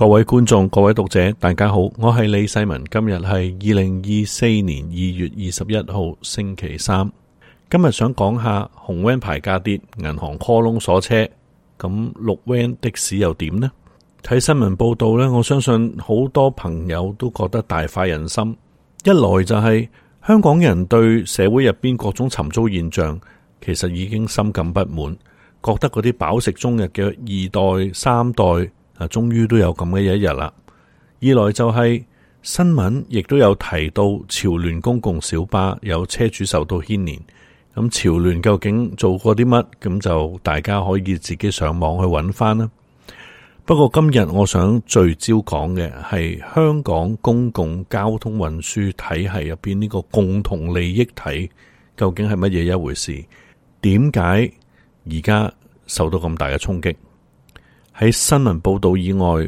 各位觀眾、各位讀者，大家好，我係李世民。今日係2024年2月21號星期三。今日想講下紅 van 牌價跌，銀行 call 窿鎖車，咁綠 van 的士又點呢？睇新聞報道呢，我相信好多朋友都覺得大快人心。一來就係香港人對社會入邊各種尋租現象，其實已經深感不滿，覺得嗰啲飽食終日嘅二代、三代終於都有咁嘅一日啦。二來就係新聞亦都有提到潮聯公共小巴有車主受到牽連，咁潮聯究竟做過啲乜？咁就大家可以自己上網去揾翻啦。不過今日我想聚焦講嘅係香港公共交通運輸體系入邊呢個共同利益體究竟係乜嘢一回事？點解而家受到咁大嘅衝擊？喺新聞報道以外，